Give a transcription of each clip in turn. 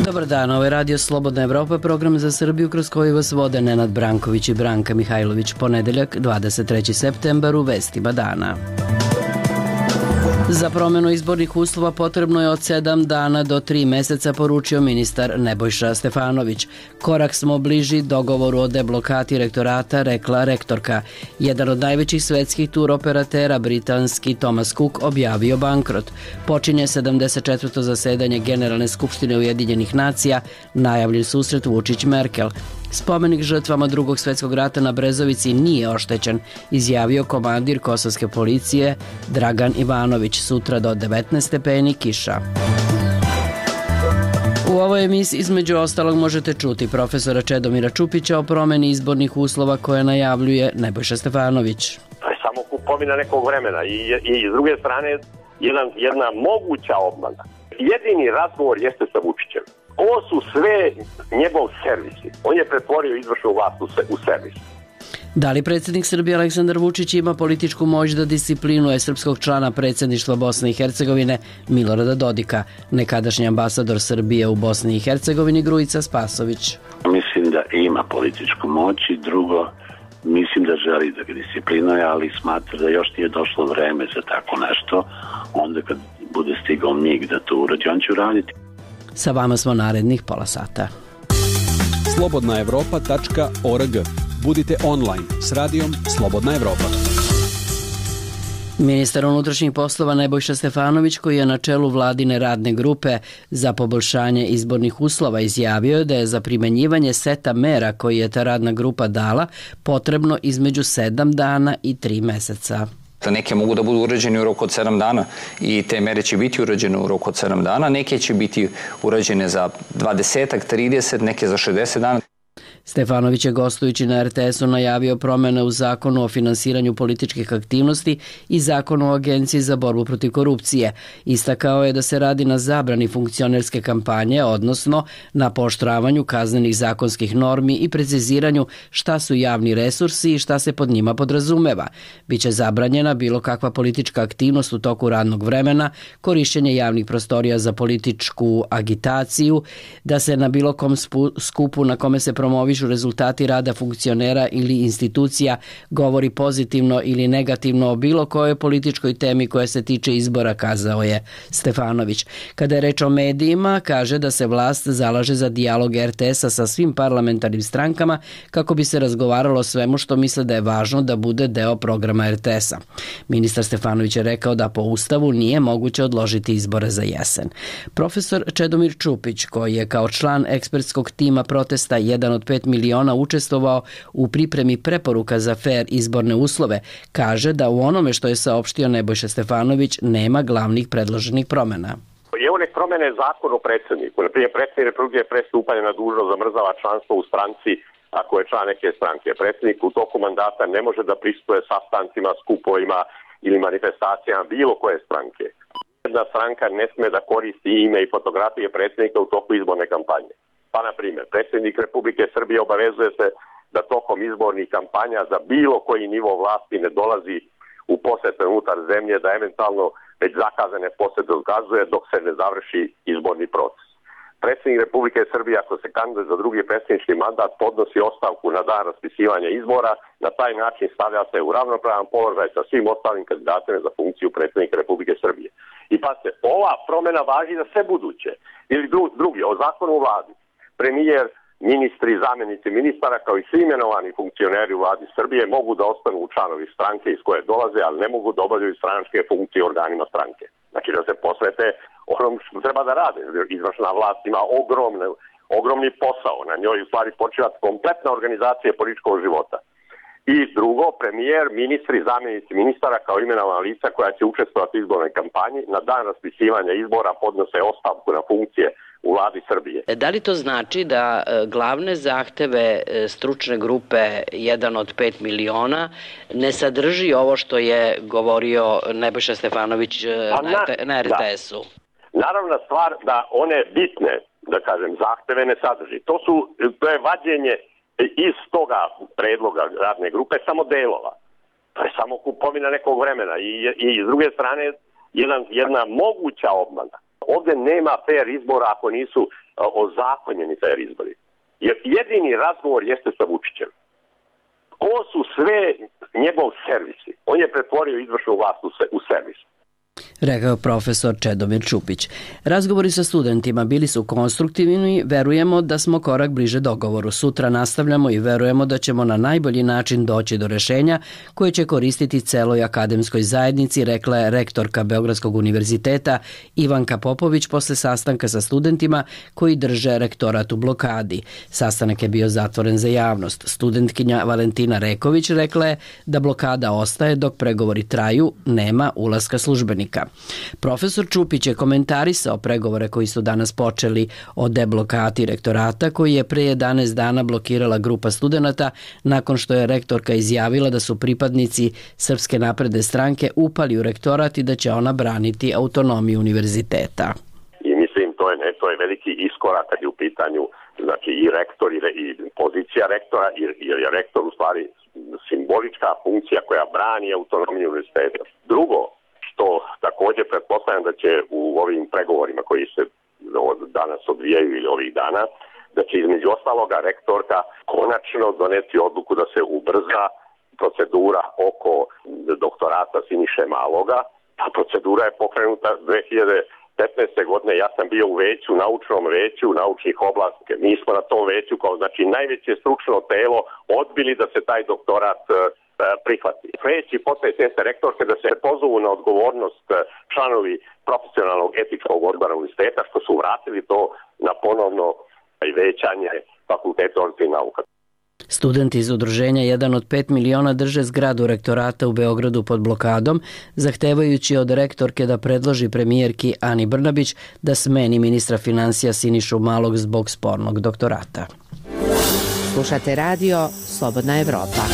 Dobar dan, ovo je Radio Slobodna Evropa, program za Srbiju kroz koji vas vode Nenad Branković i Branka Mihajlović. Ponedeljak, 23. septembar, u vestima dana. Za promenu izbornih uslova potrebno je od 7 dana do 3 meseca, poručio ministar Nebojša Stefanović. Korak smo bliži dogovoru o deblokati rektorata, rekla rektorka. Jedan od najvećih svetskih tur operatera, britanski Thomas Cook, objavio bankrot. Počinje 74. zasedanje Generalne skupštine Ujedinjenih nacija, najavljen susret Vučić-Merkel. Spomenik žrtvama Drugog svjetskog rata na Brezovici nije oštećen, izjavio komandir kosovske policije Dragan Ivanović. Sutra do 19 stepeni kiša. U ovoj emisiji između ostalog možete čuti profesora Čedomira Čupića o promeni izbornih uslova koje najavljuje Nebojša Stefanović. To je samo kupovina nekog vremena i s druge strane jedna moguća obmana. Jedini razgovor jeste sa Vučićem. Ovo su sve njegov servisi. On je pretvorio izvršnu vlast u servis. Da li predsjednik Srbije Aleksandar Vučić ima političku moć da disciplinuje srpskog člana predsjedništva Bosne i Hercegovine Milorada Dodika, nekadašnji ambasador Srbije u Bosni i Hercegovini Grujica Spasović? Mislim da ima političku moć i drugo, mislim da želi da ga disciplinuje, ali smatra da još nije došlo vreme za tako nešto. Onda kad bude stigao mig da to uradi, on će uraditi. Sa vama smo narednih pola sata. slobodnaevropa.org. Budite online s radijom Slobodna Evropa. Ministar unutrašnjih poslova Nebojša Stefanović, koji je na čelu vladine radne grupe za poboljšanje izbornih uslova, izjavio je da je za primenjivanje seta mera koji je ta radna grupa dala potrebno između 7 dana i 3 meseca. Neke mogu da budu urađene u roku od 7 dana i te mere će biti urađene u roku od 7 dana, neke će biti urađene za 20, 30, neke za 60 dana. Stefanović je gostujući na RTS-u najavio promjene u zakonu o finansiranju političkih aktivnosti i zakonu o Agenciji za borbu protiv korupcije. Istakao je da se radi na zabrani funkcionerske kampanje, odnosno na pooštravanju kaznenih zakonskih normi i preciziranju šta su javni resursi i šta se pod njima podrazumeva. Biće zabranjena bilo kakva politička aktivnost u toku radnog vremena, korišćenje javnih prostorija za političku agitaciju, da se na bilo kom skupu na kome se promovišu rezultati rada funkcionera ili institucija govori pozitivno ili negativno o bilo kojoj političkoj temi koja se tiče izbora, kazao je Stefanović. Kada je reč o medijima, kaže da se vlast zalaže za dijalog RTS-a sa svim parlamentarnim strankama kako bi se razgovaralo o svemu što misle da je važno da bude deo programa RTS-a. Ministar Stefanović je rekao da po Ustavu nije moguće odložiti izbore za jesen. Profesor Čedomir Čupić, koji je kao član ekspertskog tima protesta 1 od 5 miliona učestvovao u pripremi preporuka za fair izborne uslove, kaže da u onome što je saopštio Nebojša Stefanović nema glavnih predloženih promjena. Evo nek promene zakon o predsjedniku. Naprimjer, predsjednik Republike pre stupanja na dužnost zamrzava članstvo u stranci ako je član neke stranke. Predsjednik u toku mandata ne može da prisustuje sastancima, skupovima ili manifestacijama bilo koje stranke. Jedna stranka ne sme da koristi ime i fotografije predsjednika u toku izborne kampanje. Pa, na primjer, predsjednik Republike Srbije obavezuje se da tokom izbornih kampanja za bilo koji nivo vlasti ne dolazi u posete unutar zemlje, da eventualno već zakazane posete odkazuje dok se ne završi izborni proces. Predsjednik Republike Srbije, ako se kandiduje za drugi predsjednički mandat, podnosi ostavku na dan raspisivanja izbora, na taj način stavlja se u ravnopravan položaj sa svim ostalim kandidatima za funkciju predsjednika Republike Srbije. I pazite, ova promjena važi za sve buduće. Ili drugi, o zakonu u vladi. Premijer, ministri, zamjenici ministara kao i svi imenovani funkcioneri u vladi Srbije mogu da ostanu članovi stranke iz koje dolaze, ali ne mogu da obavljaju stranačke funkcije organima stranke. Znači da se posvete onom što treba da rade. Izvršna vlast ima ogromni posao. Na njoj u stvari počiva kompletna organizacija političkog života. I drugo, premijer, ministri, zamjenici ministara kao imenovana lica koja će učestvovati u izbornoj kampanji na dan raspisivanja izbora podnose ostavku na funkcije u vladi Srbije. Da li to znači da glavne zahteve stručne grupe 1 od 5 miliona ne sadrži ovo što je govorio Nebojša Stefanović na RTS-u? Naravna stvar da one bitne, da kažem, zahteve ne sadrži. To je vađenje iz toga predloga radne grupe samo delova. To je samo kupovina nekog vremena i s druge strane jedna moguća obmana. Ovde nema fair izbora ako nisu ozakonjeni fair izbori. Jer jedini razgovor jeste sa Vučićem. Ovo su sve njegov servisi. On je pretvorio izvršnu vlast u servis. Rekao profesor Čedomir Čupić. Razgovori sa studentima bili su konstruktivni, verujemo da smo korak bliže dogovoru. Sutra nastavljamo i verujemo da ćemo na najbolji način doći do rešenja koje će koristiti celoj akademskoj zajednici, rekla je rektorka Beogradskog univerziteta Ivanka Popović posle sastanka sa studentima koji drže rektorat u blokadi. Sastanak je bio zatvoren za javnost. Studentkinja Valentina Reković rekla je da blokada ostaje dok pregovori traju, nema ulaska službenika. Profesor Čupić je komentarisao pregovore koji su danas počeli o deblokati rektorata koji je pre 11 dana blokirala grupa studenata nakon što je rektorka izjavila da su pripadnici Srpske napredne stranke upali u rektorat i da će ona braniti autonomiju univerziteta. I mislim to je veliki iskorak kad je u pitanju znači i rektor i pozicija rektora jer je rektor u stvari simbolička funkcija koja brani autonomiju univerziteta. Drugo, što također pretpostavljam da će u ovim pregovorima koji se danas odvijaju ili ovih dana, da će između ostaloga rektorka konačno doneti odluku da se ubrza procedura oko doktorata Siniše Maloga. Ta procedura je pokrenuta 2015. godine. Ja sam bio u veću, naučnom veću, naučnih oblasti. Mi smo na tom veću kao znači najveće stručno telo odbili da se taj doktorat prihvati. Sledeći potez jeste rektorke da se pozovu na odgovornost članovi profesionalnog etičkog odbora univerziteta što su vratili to na ponovno većanje fakulteta određenih nauka. Studenti iz udruženja 1 od 5 miliona drže zgradu rektorata u Beogradu pod blokadom, zahtevajući od rektorke da predloži premijerki Ani Brnabić da smeni ministra finansija Sinišu Malog zbog spornog doktorata. Slušate radio Slobodna Evropa.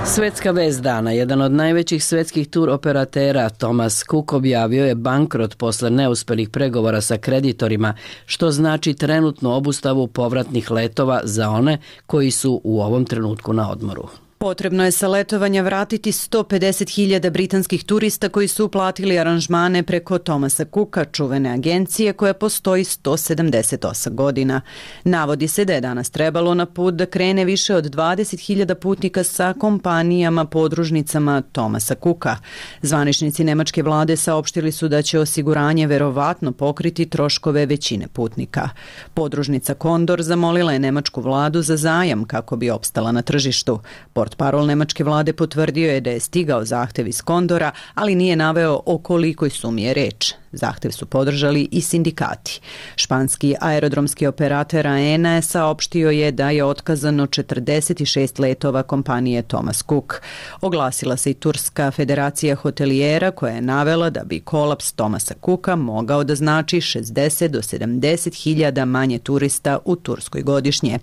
Svetska vest dana, jedan od najvećih svetskih tur operatera Thomas Cook objavio je bankrot posle neuspelih pregovora sa kreditorima, što znači trenutnu obustavu povratnih letova za one koji su u ovom trenutku na odmoru. Potrebno je sa letovanja vratiti 150.000 britanskih turista koji su uplatili aranžmane preko Thomasa Cooka, čuvene agencije koja postoji 178 godina. Navodi se da je danas trebalo na put da krene više od 20.000 putnika sa kompanijama podružnicama Thomasa Cooka. Zvaničnici nemačke vlade saopštili su da će osiguranje verovatno pokriti troškove većine putnika. Podružnica Condor zamolila je nemačku vladu za zajam kako bi opstala na tržištu. Portparol nemačke vlade potvrdio je da je stigao zahtev iz Condora, ali nije naveo o kolikoj sumi je reč. Zahtev su podržali i sindikati. Španski aerodromski operator AENA je saopštio je da je otkazano 46 letova kompanije Thomas Cook. Oglasila se i Turska federacija hotelijera koja je navela da bi kolaps Thomasa Cooka mogao da znači 60 do 70.000 manje turista u Turskoj godišnje.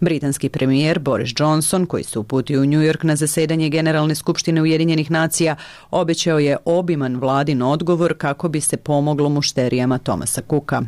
Britanski premijer Boris Johnson, koji se uputio u New York na zasedanje Generalne skupštine Ujedinjenih nacija, obećao je obiman vladin odgovor kako bi se pomoglo mušterijama Thomasa Cooka.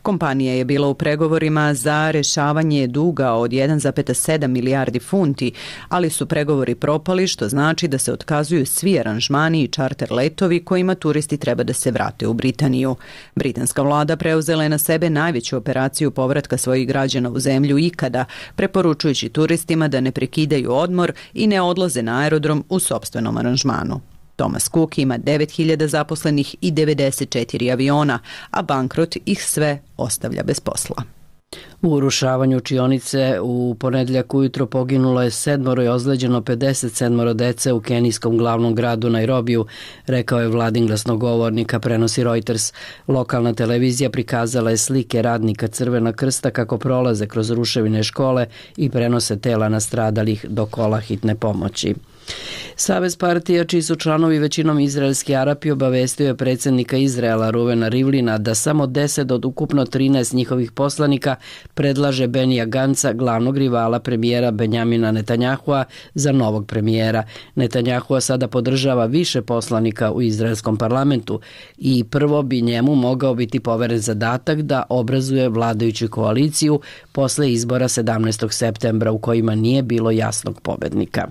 Kompanija je bila u pregovorima za rešavanje duga od 1,7 milijardi funti, ali su pregovori propali, što znači da se otkazuju svi aranžmani i čarter letovi kojima turisti treba da se vrate u Britaniju. Britanska vlada preuzela je na sebe najveću operaciju povratka svojih građana u zemlju ikada, preporučujući turistima da ne prekidaju odmor i ne odlaze na aerodrom u sopstvenom aranžmanu. Thomas Cook ima 9.000 zaposlenih i 94 aviona, a bankrot ih sve ostavlja bez posla. U urušavanju učionice u ponedjeljak ujutro poginulo je 7 i ozleđeno 57 dece u kenijskom glavnom gradu Nairobiju, rekao je vladin glasnogovornik, a prenosi Reuters. Lokalna televizija prikazala je slike radnika Crvenog krsta kako prolaze kroz ruševine škole i prenose tela nastradalih do kola hitne pomoći. Savez partija, čiji su članovi većinom izraelski Arapi, obavestio je predsjednika Izraela Ruvena Rivlina da samo 10 od ukupno 13 njihovih poslanika predlaže Benija Ganca, glavnog rivala premijera Benjamina Netanjahua, za novog premijera. Netanjahua sada podržava više poslanika u izraelskom parlamentu i prvo bi njemu mogao biti poveren zadatak da obrazuje vladajuću koaliciju posle izbora 17. septembra u kojima nije bilo jasnog pobednika.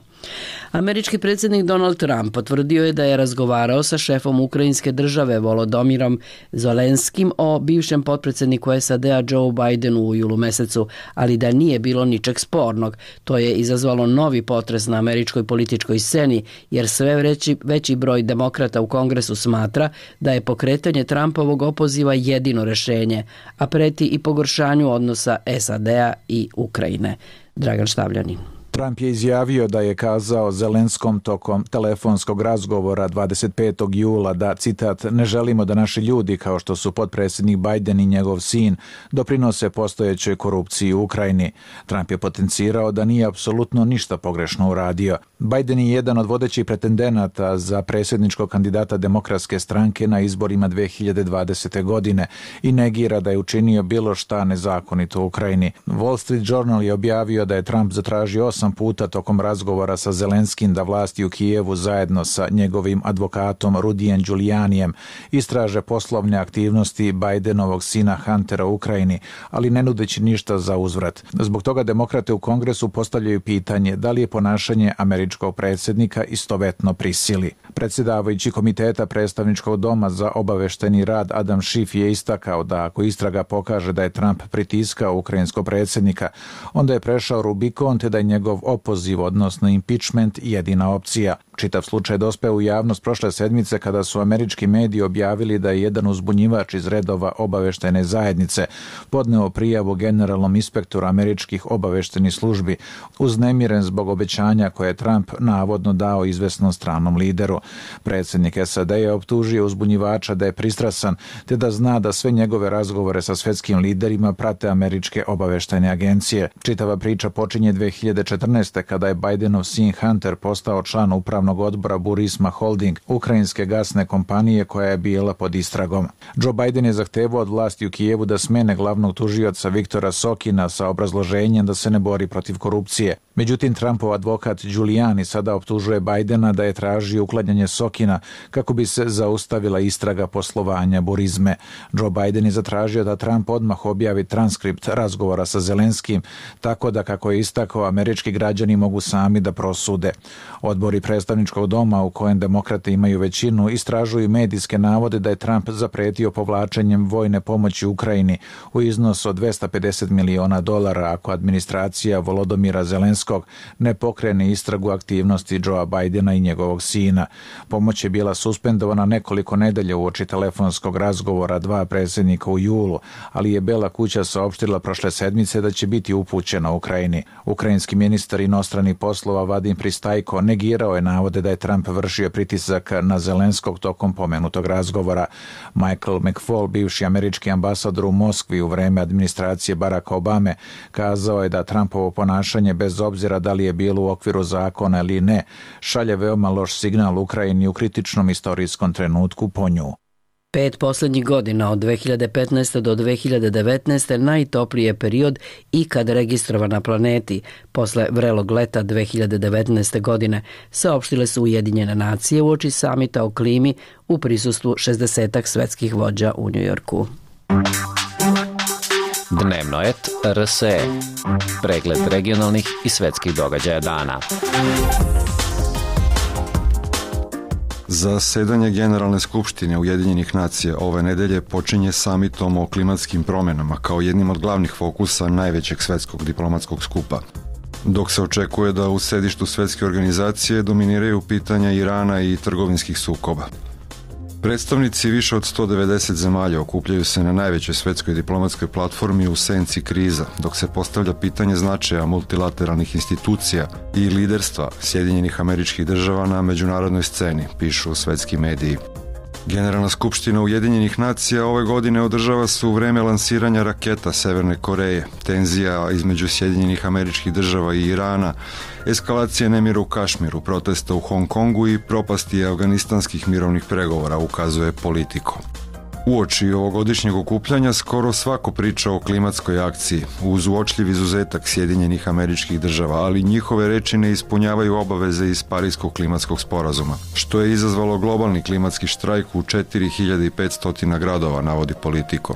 Američki predsjednik Donald Trump potvrdio je da je razgovarao sa šefom ukrajinske države Volodymyrom Zelenskim o bivšem potpredsjedniku SAD-a Joe Bidenu u julu mesecu, ali da nije bilo ničeg spornog. To je izazvalo novi potres na američkoj političkoj sceni, jer sve veći broj demokrata u Kongresu smatra da je pokretanje Trumpovog opoziva jedino rešenje, a preti i pogoršanju odnosa SAD-a i Ukrajine. Dragan Štavljanin. Trump je izjavio da je kazao Zelenskom tokom telefonskog razgovora 25. jula da, citat, ne želimo da naši ljudi, kao što su potpredsjednik Biden i njegov sin, doprinose postojećoj korupciji u Ukrajini. Trump je potencirao da nije apsolutno ništa pogrešno uradio. Biden je jedan od vodećih pretendenata za predsjedničkog kandidata Demokratske stranke na izborima 2020. godine i negira da je učinio bilo šta nezakonito u Ukrajini. Wall Street Journal je objavio da je Trump zatražio 8 puta tokom razgovora sa Zelenskim da vlasti u Kijevu zajedno sa njegovim advokatom Rudijem Giulianijem istraže poslovne aktivnosti Bidenovog sina Huntera u Ukrajini, ali ne nudeći ništa za uzvrat. Zbog toga demokrate u Kongresu postavljaju pitanje da li je ponašanje američkog predsjednika istovetno prisili. Predsjedavajući komiteta predstavničkog doma za obavešteni rad Adam Schiff je istakao da ako istraga pokaže da je Trump pritiskao ukrajinskog predsjednika, onda je prešao Rubikon te da je njegov opoziv, odnosno impeachment, jedina opcija. Čitav slučaj dospeo u javnost prošle sedmice kada su američki mediji objavili da je jedan uzbunjivač iz redova obaveštene zajednice podneo prijavu generalnom inspektoru američkih obaveštenih službi, uznemiren zbog obećanja koje je Trump navodno dao izvesnom stranom lideru. Predsjednik SAD je optužio uzbunjivača da je pristrasan te da zna da sve njegove razgovore sa svetskim liderima prate američke obaveštene agencije. Čitava priča počinje 2014. kada je Bidenov sin Hunter postao član upravnog odbora Burisma Holding, ukrajinske gasne kompanije koja je bila pod istragom. Joe Biden je zahtevao od vlasti u Kijevu da smene glavnog tužioca Viktora Sokina sa obrazloženjem da se ne bori protiv korupcije. Međutim, Trumpov advokat Giuliani sada optužuje Bidena da je tražio uklanjanje Sokina kako bi se zaustavila istraga poslovanja Burisme. Joe Biden je zatražio da Trump odmah objavi transkript razgovora sa Zelenskim, tako da, kako je istakao, američki građani mogu sami da prosude. Odbori predstavničkog doma u kojem demokrate imaju većinu istražuju medijske navode da je Trump zapretio povlačenjem vojne pomoći Ukrajini u iznosu od $250 miliona ako administracija Volodymyra Zelenskog ne pokrene istragu aktivnosti Joea Bidena i njegovog sina. Pomoć je bila suspendovana nekoliko nedelja uoči telefonskog razgovora dva predsjednika u julu, ali je Bela kuća saopštila prošle sedmice da će biti upućena Ukrajini. Ukrajinski ministar inostranih poslova Vadim Pristajko negirao je navode da je Trump vršio pritisak na Zelenskog tokom pomenutog razgovora. Michael McFaul, bivši američki ambasador u Moskvi u vreme administracije Baracka Obame, kazao je da Trumpovo ponašanje, bez obzira da li je bilo u okviru zakona ili ne, šalje veoma loš signal Ukrajini u kritičnom istorijskom trenutku po nju. 5 posljednjih godina od 2015. do 2019. najtopliji je period ikad registrovan na planeti. Posle vrelog leta 2019. godine saopštile su Ujedinjene nacije uoči samita o klimi u prisustvu 60 svetskih vođa u Njujorku. Dnevno et RSE. Pregled regionalnih i svetskih događaja dana. Zasedanje Generalne skupštine Ujedinjenih nacija ove nedelje počinje samitom o klimatskim promjenama kao jednim od glavnih fokusa najvećeg svetskog diplomatskog skupa. Dok se očekuje da u sedištu svetske organizacije dominiraju pitanja Irana i trgovinskih sukoba. Predstavnici više od 190 zemalja okupljaju se na najvećoj svetskoj diplomatskoj platformi u senci kriza, dok se postavlja pitanje značaja multilateralnih institucija i liderstva Sjedinjenih Američkih Država na međunarodnoj sceni, pišu svetski mediji. Generalna skupština Ujedinjenih nacija ove godine održava se u vreme lansiranja raketa Severne Koreje, tenzija između Sjedinjenih Američkih Država i Irana, eskalacije nemira u Kašmiru, protesta u Hong Kongu i propasti afganistanskih mirovnih pregovora, ukazuje Politico. Uoči ovogodišnjeg okupljanja skoro svako priča o klimatskoj akciji, uz uočljiv izuzetak Sjedinjenih Američkih Država, ali njihove reči ne ispunjavaju obaveze iz Parijskog klimatskog sporazuma, što je izazvalo globalni klimatski štrajk u 4500 gradova, navodi Politico.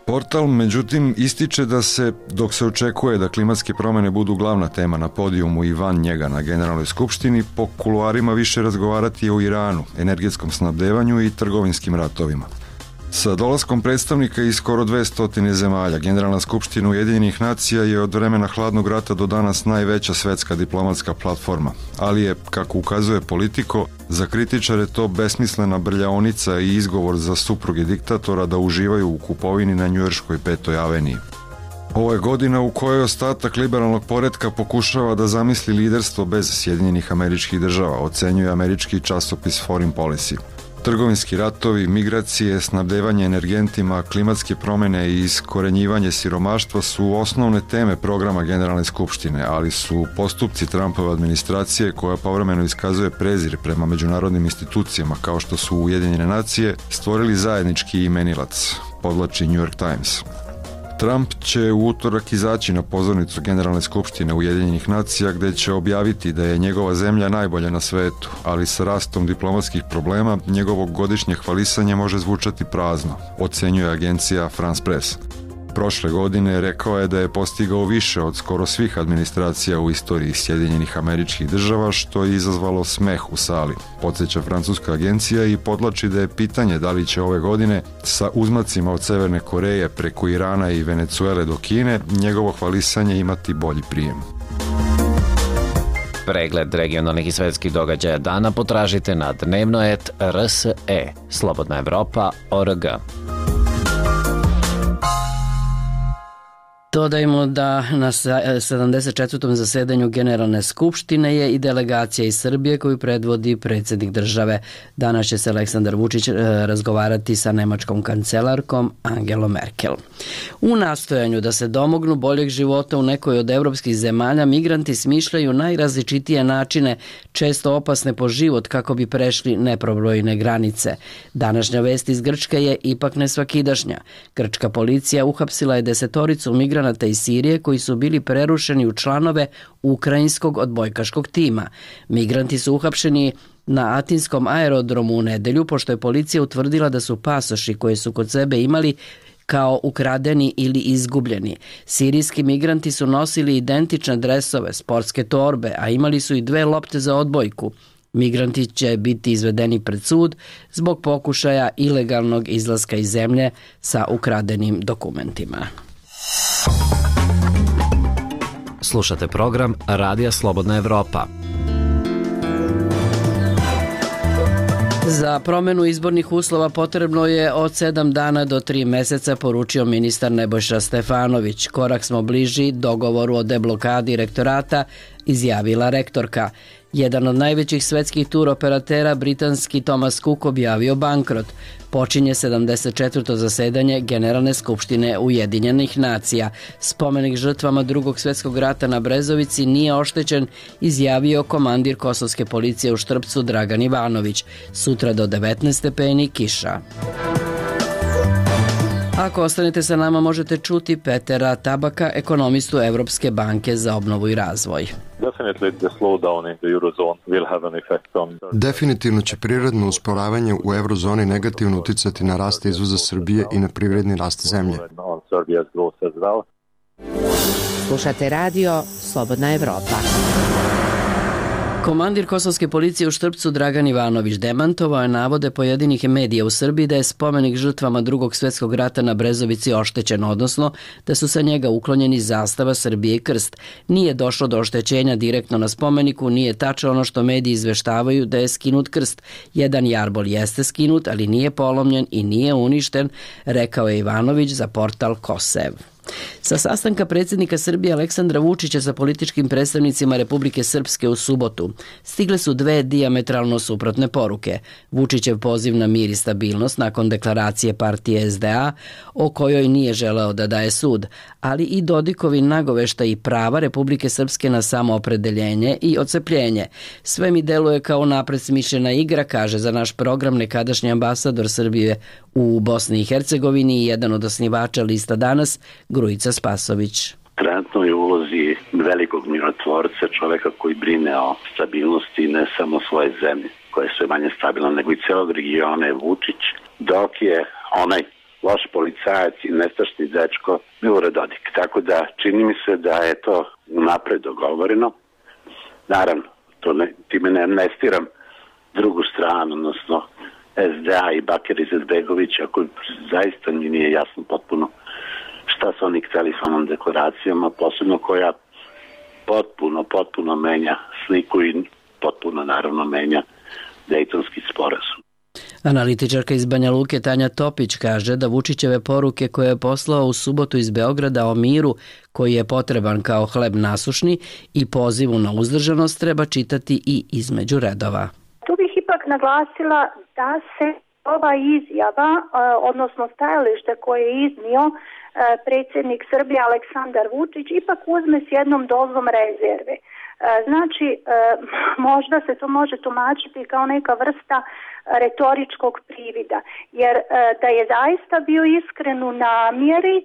Portal, međutim, ističe da se, dok se očekuje da klimatske promjene budu glavna tema na podijumu i van njega na Generalnoj skupštini, po kuluarima više razgovarati o Iranu, energetskom snabdevanju i trgovinskim ratovima. Sa dolaskom predstavnika iz skoro 200 zemalja, Generalna skupština Ujedinjenih nacija je od vremena hladnog rata do danas najveća svetska diplomatska platforma, ali je, kako ukazuje Politico, za kritičare to besmislena brljaonica i izgovor za supruge diktatora da uživaju u kupovini na njujorškoj 5. aveniji. Ovo je godina u kojoj ostatak liberalnog poretka pokušava da zamisli liderstvo bez Sjedinjenih Američkih Država, ocenjuje američki časopis Foreign Policy. Trgovinski ratovi, migracije, snabdevanje energentima, klimatske promjene i iskorenjivanje siromaštva su osnovne teme programa Generalne skupštine, ali su postupci Trumpove administracije, koja povremeno iskazuje prezir prema međunarodnim institucijama kao što su Ujedinjene nacije, stvorili zajednički imenilac, podvlači New York Times. Trump će u utorak izaći na pozornicu Generalne skupštine Ujedinjenih nacija gdje će objaviti da je njegova zemlja najbolja na svetu, ali sa rastom diplomatskih problema njegovo godišnje hvalisanje može zvučati prazno, ocenjuje agencija France Press. Prošle godine rekao je da je postigao više od skoro svih administracija u istoriji Sjedinjenih Američkih Država, što je izazvalo smeh u sali, podsjeća francuska agencija i podlači da je pitanje da li će ove godine sa uzmacima od Severne Koreje preko Irana i Venecuele do Kine njegovo hvalisanje imati bolji prijem. Pregled regionalnih i svetskih događaja dana potražite na dnevnoet.rse, slobodnaevropa.org. Dodajmo da na 74. zasedanju Generalne skupštine je i delegacija iz Srbije koju predvodi predsjednik države. Danas će se Aleksandar Vučić razgovarati sa nemačkom kancelarkom Angelom Merkel. U nastojanju da se domognu boljeg života u nekoj od evropskih zemalja, migranti smišljaju najrazličitije načine, često opasne po život, kako bi prešli neprobrojne granice. Današnja vest iz Grčke je ipak nesvakidašnja. Grčka policija uhapsila je 10 migranata iz Sirije koji su bili prerušeni u članove ukrajinskog odbojkaškog tima. Migranti su uhapšeni na atinskom aerodromu u nedelju, pošto je policija utvrdila da su pasoši koje su kod sebe imali kao ukradeni ili izgubljeni. Sirijski migranti su nosili identične dresove, sportske torbe, a imali su i 2 lopte za odbojku. Migranti će biti izvedeni pred sud zbog pokušaja ilegalnog izlaska iz zemlje sa ukradenim dokumentima. Slušate program Radija Slobodna Evropa. Za promjenu izbornih uslova potrebno je od 7 dana do 3 meseca, poručio ministar Nebojša Stefanović. Korak smo bliži dogovoru o deblokadi rektorata, izjavila rektorka. Jedan od najvećih svetskih tur operatera, britanski Thomas Cook, objavio bankrot. Počinje 74. zasedanje Generalne skupštine Ujedinjenih nacija. Spomenik žrtvama Drugog svjetskog rata na Brezovici nije oštećen, izjavio komandir kosovske policije u Štrpcu Dragan Ivanović. Sutra do 19 stepeni kiša. Ako ostanete sa nama, možete čuti Petera Tabaka, ekonomistu Evropske banke za obnovu i razvoj. Definitivno će prirodno usporavanje u eurozoni negativno uticati na rast izvoza Srbije i na privredni rast zemlje. Slušate radio Slobodna Evropa. Komandir kosovske policije u Štrpcu Dragan Ivanović demantovao je navode pojedinih medija u Srbiji da je spomenik žrtvama Drugog svjetskog rata na Brezovici oštećen, odnosno da su sa njega uklonjeni zastava Srbije i krst. Nije došlo do oštećenja direktno na spomeniku, nije tačno ono što mediji izveštavaju da je skinut krst. Jedan jarbol jeste skinut, ali nije polomljen i nije uništen, rekao je Ivanović za portal Kosev. Sa sastanka predsjednika Srbije Aleksandra Vučića sa političkim predstavnicima Republike Srpske u subotu stigle su dve dijametralno suprotne poruke. Vučićev poziv na mir i stabilnost nakon deklaracije partije SDA, o kojoj nije želeo da daje sud, ali i Dodikovi nagovešta i prava Republike Srpske na samoopredeljenje i ocepljenje. Sve mi deluje kao napred smišljena igra, kaže za naš program nekadašnji ambasador Srbije u Bosni i Hercegovini i jedan od osnivača lista Danas, Grujica Spasović. Trenutno je u ulozi velikog mirotvorca, čoveka koji brine o stabilnosti ne samo svoje zemlje, koja je sve manje stabilna, nego i celog regiona je Vučić, dok je onaj loš policajac i nestašni dečko Milorad Dodik. Tako da čini mi se da je to napred dogovoreno. Naravno, time ne amnestiram drugu stranu, odnosno SDA i Bakir Izetbegovića, koji zaista mi nije jasno potpuno šta su oni hteli sa onom deklaracijama, posebno koja potpuno menja sliku i potpuno naravno menja Dejtonski sporazum. Analitičarka iz Banja Luke Tanja Topić kaže da Vučićeve poruke koje je poslao u subotu iz Beograda o miru, koji je potreban kao hleb nasušni, i pozivu na uzdržanost treba čitati i između redova. Tu bih ipak naglasila da se ova izjava, odnosno stajalište koje je iznio predsjednik Srbije Aleksandar Vučić, ipak uzme s jednom dozom rezerve. Znači, možda se to može tumačiti kao neka vrsta retoričkog privida, jer da je zaista bio iskren u namjeri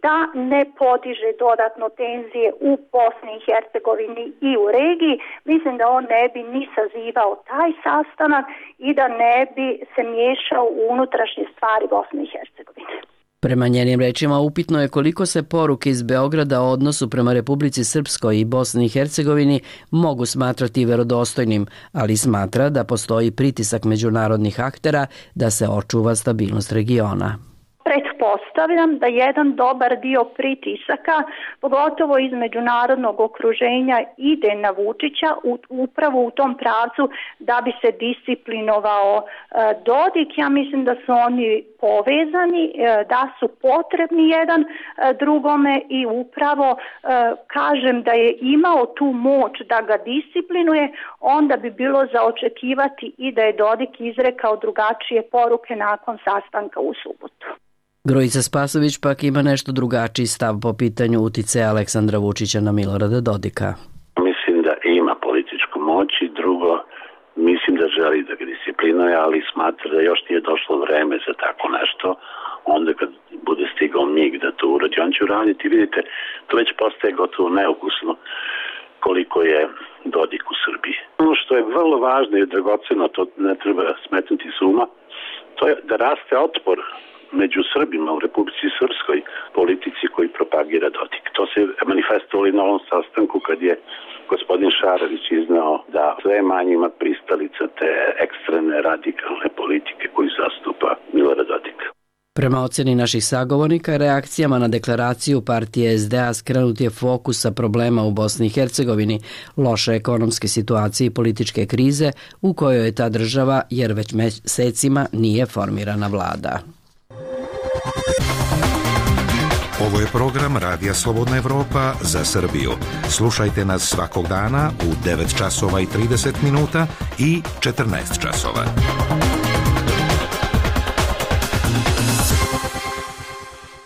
da ne podiže dodatno tenzije u Bosni i Hercegovini i u regiji, mislim da on ne bi ni sazivao taj sastanak i da ne bi se miješao u unutrašnje stvari Bosne i Hercegovine. Prema njenim rečima upitno je koliko se poruke iz Beograda o odnosu prema Republici Srpskoj i Bosni i Hercegovini mogu smatrati verodostojnim, ali smatra da postoji pritisak međunarodnih aktera da se očuva stabilnost regiona. Pretpostavljam da jedan dobar dio pritisaka, pogotovo iz međunarodnog okruženja, ide na Vučića upravo u tom pravcu da bi se disciplinovao Dodik. Ja mislim da su oni povezani, da su potrebni jedan drugome i upravo kažem da je imao tu moć da ga disciplinuje, onda bi bilo za očekivati i da je Dodik izrekao drugačije poruke nakon sastanka u subotu. Grujica Spasović pak ima nešto drugačiji stav po pitanju uticaja Aleksandra Vučića na Milorada Dodika. Mislim da ima političku moć i drugo, mislim da želi da ga disciplinuje, ali smatra da još nije došlo vreme za tako nešto. Onda kad bude stigao mig da to uradi, on će uraditi. Vidite, to već postaje gotovo neukusno koliko je Dodik u Srbiji. Ono što je vrlo važno i dragoceno, to ne treba smetnuti s uma, to je da raste otpor među Srbima u Republici Srpskoj politici koji propagira Dodik. To se manifestovalo i na ovom sastanku kad je gospodin Šarović iznao da sve manje ima pristalica te ekstremne radikalne politike koju zastupa Milorad Dodik. Prema ocjeni naših sagovornika, reakcijama na deklaraciju partije SDA skrenut je fokus sa problema u Bosni i Hercegovini, loše ekonomske situacije i političke krize u kojoj je ta država jer već mesecima nije formirana vlada. Ovo je program Radija Slobodna Evropa za Srbiju. Slušajte nas svakog dana u 9 časova i 30 minuta i 14 časova.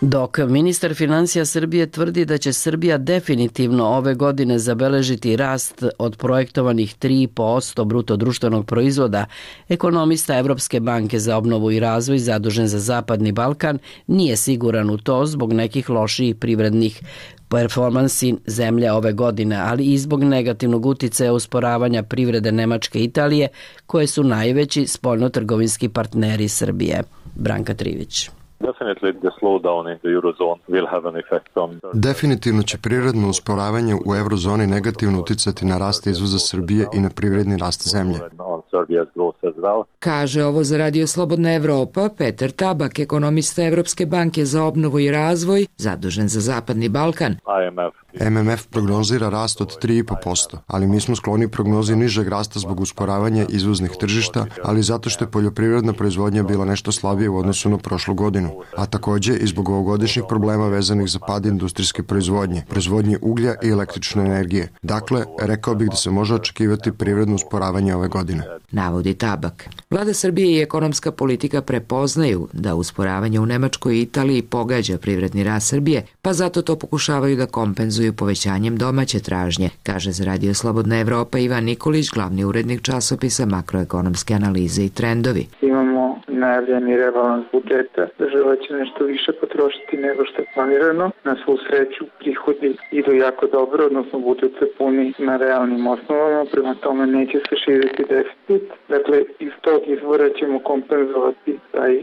Dok ministar financija Srbije tvrdi da će Srbija definitivno ove godine zabeležiti rast od projektovanih 3% bruto društvenog proizvoda, ekonomista Evropske banke za obnovu i razvoj zadužen za Zapadni Balkan nije siguran u to zbog nekih loših privrednih performansi zemlje ove godine, ali i zbog negativnog uticaja usporavanja privrede Nemačke i Italije, koje su najveći spoljnotrgovinski partneri Srbije. Branka Trivić. Definitivno će prirodno usporavanje u eurozoni negativno uticati na rast izvoza Srbije i na privredni rast zemlje. Kaže ovo za Radio Slobodna Evropa Petar Tabak, ekonomista Evropske banke za obnovu i razvoj, zadužen za Zapadni Balkan. MMF prognozira rast od 3,5%, ali mi smo skloni prognozi nižeg rasta zbog usporavanja izvoznih tržišta, ali zato što je poljoprivredna proizvodnja bila nešto slabije u odnosu na prošlu godinu, a takođe i zbog ovogodišnjih problema vezanih za pad industrijske proizvodnje uglja i električne energije. Dakle, rekao bih da se može očekivati privredno usporavanje ove godine. Navodi Tabak. Vlada Srbije i ekonomska politika prepoznaju da usporavanje u Nemačkoj i Italiji pogađa privredni rast Srbije, pa zato to pokušavaju da kompenzuju povećanjem domaće tražnje, kaže za Radio Slobodna Evropa Ivan Nikolić, glavni urednik časopisa Makroekonomske analize i trendovi. Imamo najavljeni rebalans budžeta. Država će nešto više potrošiti nego što je planirano. Na svu sreću prihodi idu jako dobro, odnosno budžet se puni na realnim osnovama, prema tome neće se širiti deficit. Dakle, iz tog izvora ćemo kompenzovati taj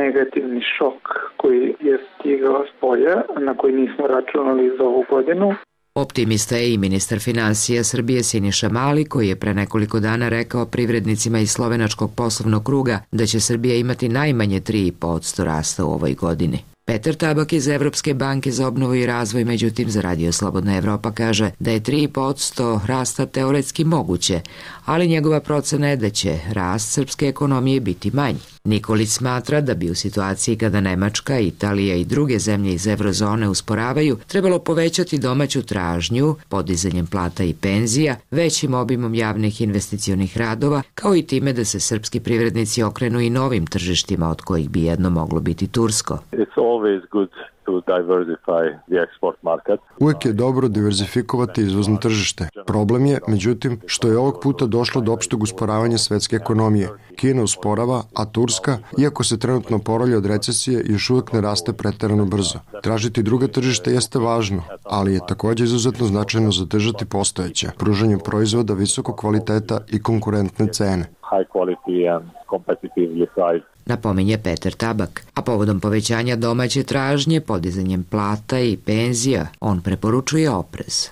negativni šok koji je stigao s polja, na koji nismo računali za ovu godinu. Optimista je i ministar finansija Srbije Siniša Mali, koji je pre nekoliko dana rekao privrednicima iz slovenačkog poslovnog kruga da će Srbija imati najmanje 3,5% rasta u ovoj godini. Petar Tabak iz Evropske banke za obnovu i razvoj, međutim, za Radio Slobodna Evropa kaže da je 3,5% rasta teoretski moguće, ali njegova procena je da će rast srpske ekonomije biti manji. Nikolić smatra da bi u situaciji kada Nemačka, Italija i druge zemlje iz eurozone usporavaju, trebalo povećati domaću tražnju, podizanjem plata i penzija, većim obimom javnih investicionih radova, kao i time da se srpski privrednici okrenu i novim tržištima, od kojih bi jedno moglo biti tursko. Uvijek je dobro diverzifikovati izvozno tržište. Problem je, međutim, što je ovog puta došlo do opšteg usporavanja svetske ekonomije. Kina usporava, a Turska, iako se trenutno oporavlja od recesije, još uvijek ne raste preterano brzo. Tražiti druga tržišta jeste važno, ali je također izuzetno značajno zadržati postojeća, pružanjem proizvoda visokog kvaliteta i konkurentne cene. Napominje Petar Tabak, a povodom povećanja domaće tražnje, podizanjem plata i penzija, on preporučuje oprez.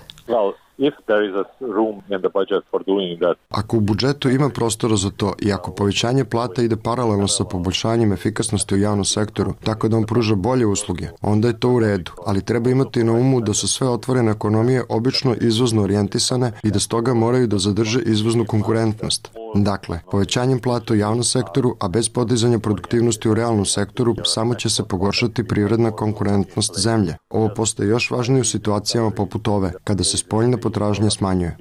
Ako u budžetu ima prostora za to i ako povećanje plata ide paralelno sa poboljšanjem efikasnosti u javnom sektoru, tako da on pruža bolje usluge, onda je to u redu, ali treba imati na umu da su sve otvorene ekonomije obično izvozno orijentisane i da stoga moraju da zadrže izvoznu konkurentnost. Dakle, povećanjem plata u javnom sektoru, a bez podizanja produktivnosti u realnom sektoru, samo će se pogoršati privredna konkurentnost zemlje. Ovo postaje još važnije u situacijama poput ove, kada se spoljna potražnja smanjuje.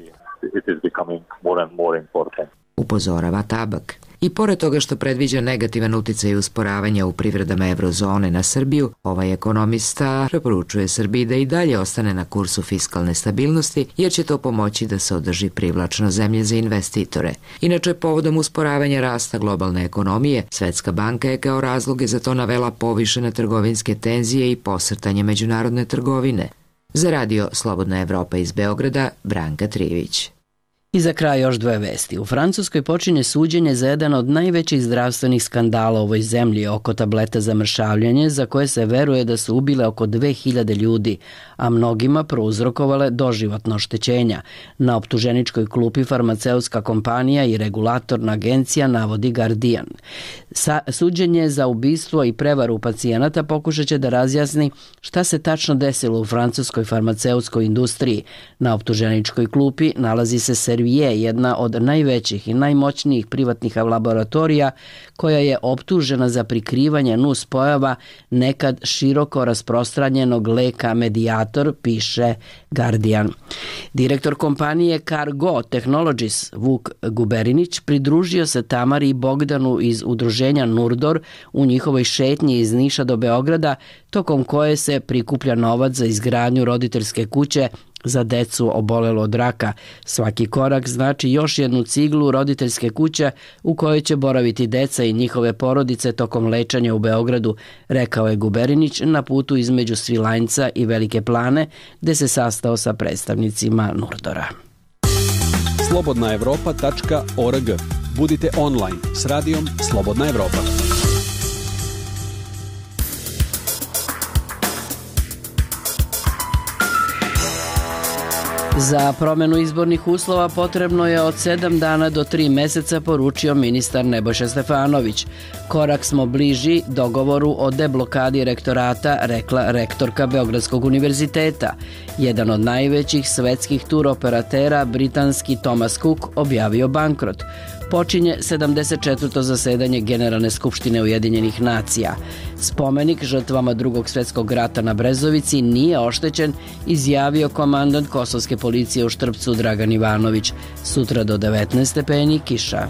Upozorava Tabak. I pored toga što predviđa negativan uticaj usporavanja u privredama eurozone na Srbiju, ovaj ekonomista preporučuje Srbiji da i dalje ostane na kursu fiskalne stabilnosti, jer će to pomoći da se održi privlačno zemlje za investitore. Inače, povodom usporavanja rasta globalne ekonomije, Svetska banka je kao razloge za to navela povišene trgovinske tenzije i posrtanje međunarodne trgovine. Za Radio Slobodna Evropa iz Beograda, Branka Trivić. I za kraj još dve vesti. U Francuskoj počinje suđenje za jedan od najvećih zdravstvenih skandala u ovoj zemlji oko tableta za mršavljanje, za koje se veruje da su ubile oko 2000 ljudi, a mnogima prouzrokovale doživotno oštećenja. Na optuženičkoj klupi farmaceutska kompanija i regulatorna agencija, navodi Guardian. Suđenje za ubistvo i prevaru pacijenata pokušat će da razjasni šta se tačno desilo u francuskoj farmaceutskoj industriji. Na optuženičkoj klupi nalazi se Servier, jedna od najvećih i najmoćnijih privatnih laboratorija, koja je optužena za prikrivanje nuspojava nekad široko rasprostranjenog leka Mediator, piše Guardian. Direktor kompanije Cargo Technologies Vuk Guberinić pridružio se Tamari i Bogdanu iz udruženja Nurdor u njihovoj šetnji iz Niša do Beograda, tokom koje se prikuplja novac za izgradnju roditeljske kuće za decu obolelo od raka. Svaki korak znači još jednu ciglu roditeljske kuće u kojoj će boraviti deca i njihove porodice tokom lečanja u Beogradu, rekao je Guberinić na putu između Svilajnca i Velike Plane, gde se sastao sa predstavnicima Nurdora. slobodnaevropa.org. Budite online s radijom Slobodna Evropa. Za promenu izbornih uslova potrebno je od 7 dana do 3 meseca, poručio ministar Nebojša Stefanović. Korak smo bliži dogovoru o deblokadi rektorata, rekla rektorka Beogradskog univerziteta. Jedan od najvećih svetskih turoperatera, britanski Thomas Cook, objavio bankrot. Počinje 74. zasedanje Generalne skupštine Ujedinjenih nacija. Spomenik žrtvama Drugog svjetskog rata na Brezovici nije oštećen, izjavio komandant kosovske policije u Štrpcu Dragan Ivanović. Sutra do 19 stepeni kiša.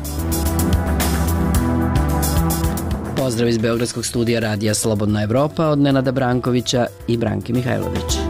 Pozdrav iz Beogradskog studija Radija Slobodna Evropa od Nenada Brankovića i Branke Mihajlović.